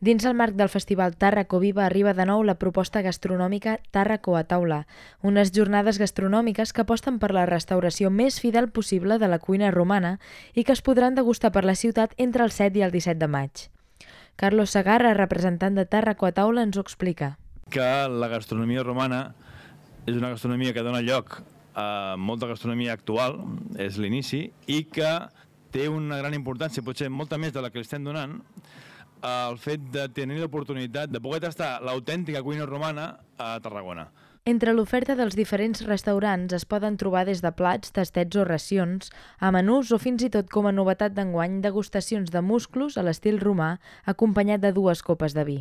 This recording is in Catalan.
Dins el marc del Festival Tàrraco Viva arriba de nou la proposta gastronòmica Tàrraco a taula, unes jornades gastronòmiques que aposten per la restauració més fidel possible de la cuina romana i que es podran degustar per la ciutat entre el 7 i el 17 de maig. Carlos Segarra, representant de Tàrraco a taula, ens ho explica. Que la gastronomia romana és una gastronomia que dona lloc a molta gastronomia actual, és l'inici, i que té una gran importància, potser molta més de la que li estem donant, el fet de tenir l'oportunitat de poder tastar l'autèntica cuina romana a Tarragona. Entre l'oferta dels diferents restaurants es poden trobar des de plats, tastets o racions, a menús o fins i tot com a novetat d'enguany degustacions de musclos a l'estil romà acompanyat de 2 copes de vi.